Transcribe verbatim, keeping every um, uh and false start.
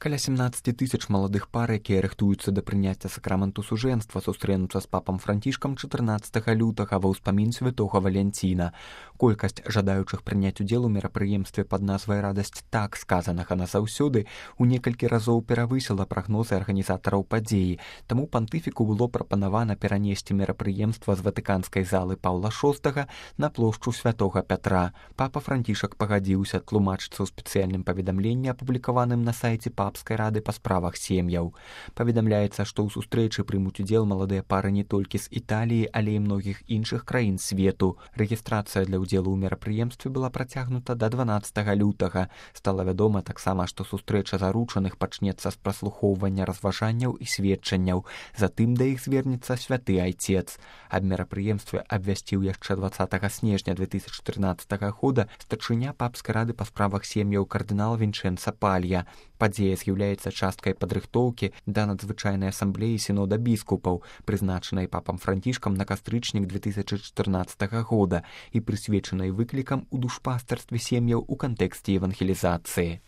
Каля семнадцаць тысяч маладых пар, якія рыхтуюцца да прыняцця сакраменту сужэнства, сустрэнуцца з папам Францішкам чатырнаццатага лютага ва ўспамін святога Валянціна. Колькасць жадаючых прыняць удзел у мерапрыемстве пад назвай «Радасць так сказанага назаўсёды» у некалькі разоў перавысіла прагнозы арганізатараў падзеі, таму пантыфіку было прапанавана перанесці мерапрыемства з ватыканскай залы Паўла шостага на плошчу святога Пятра. Папа Францішак пагадзіўся, тлумачыцца ў спецыяльным паведамленні, апублікаваным на сайце Папскай рады па справах сем'яў. Паведамляецца, што ў сустрэчы прымуць удзел маладыя пары не толькі з Італіі, але і многіх іншых краін свету. Рэгістрацыя для ўдзелу ў мерапрыемстве была працягнута да дванаццатага лютага. Стала вядома таксама, што сустрэча заручаных пачнецца з праслухоўвання разважанняў і сведчанняў. Затым да іх звернецца святы айцец. Аб мерапрыемстве абвясціў яшчэ дваццатага снежня две тысячы трынаццатага года старшыня Папскай рады па справах сем'яў кардынал Вінчэнца Палья. Падзея з'яўляецца часткай падрыхтоўкі да надзвычайнай асамблеі сінода біскупаў, прызначанай папам Францішкам на кастрычнік две тысячы чатырнаццатага года і прысвечанай выклікам у душпастарстве сем'яў у кантэксце евангелізацыі.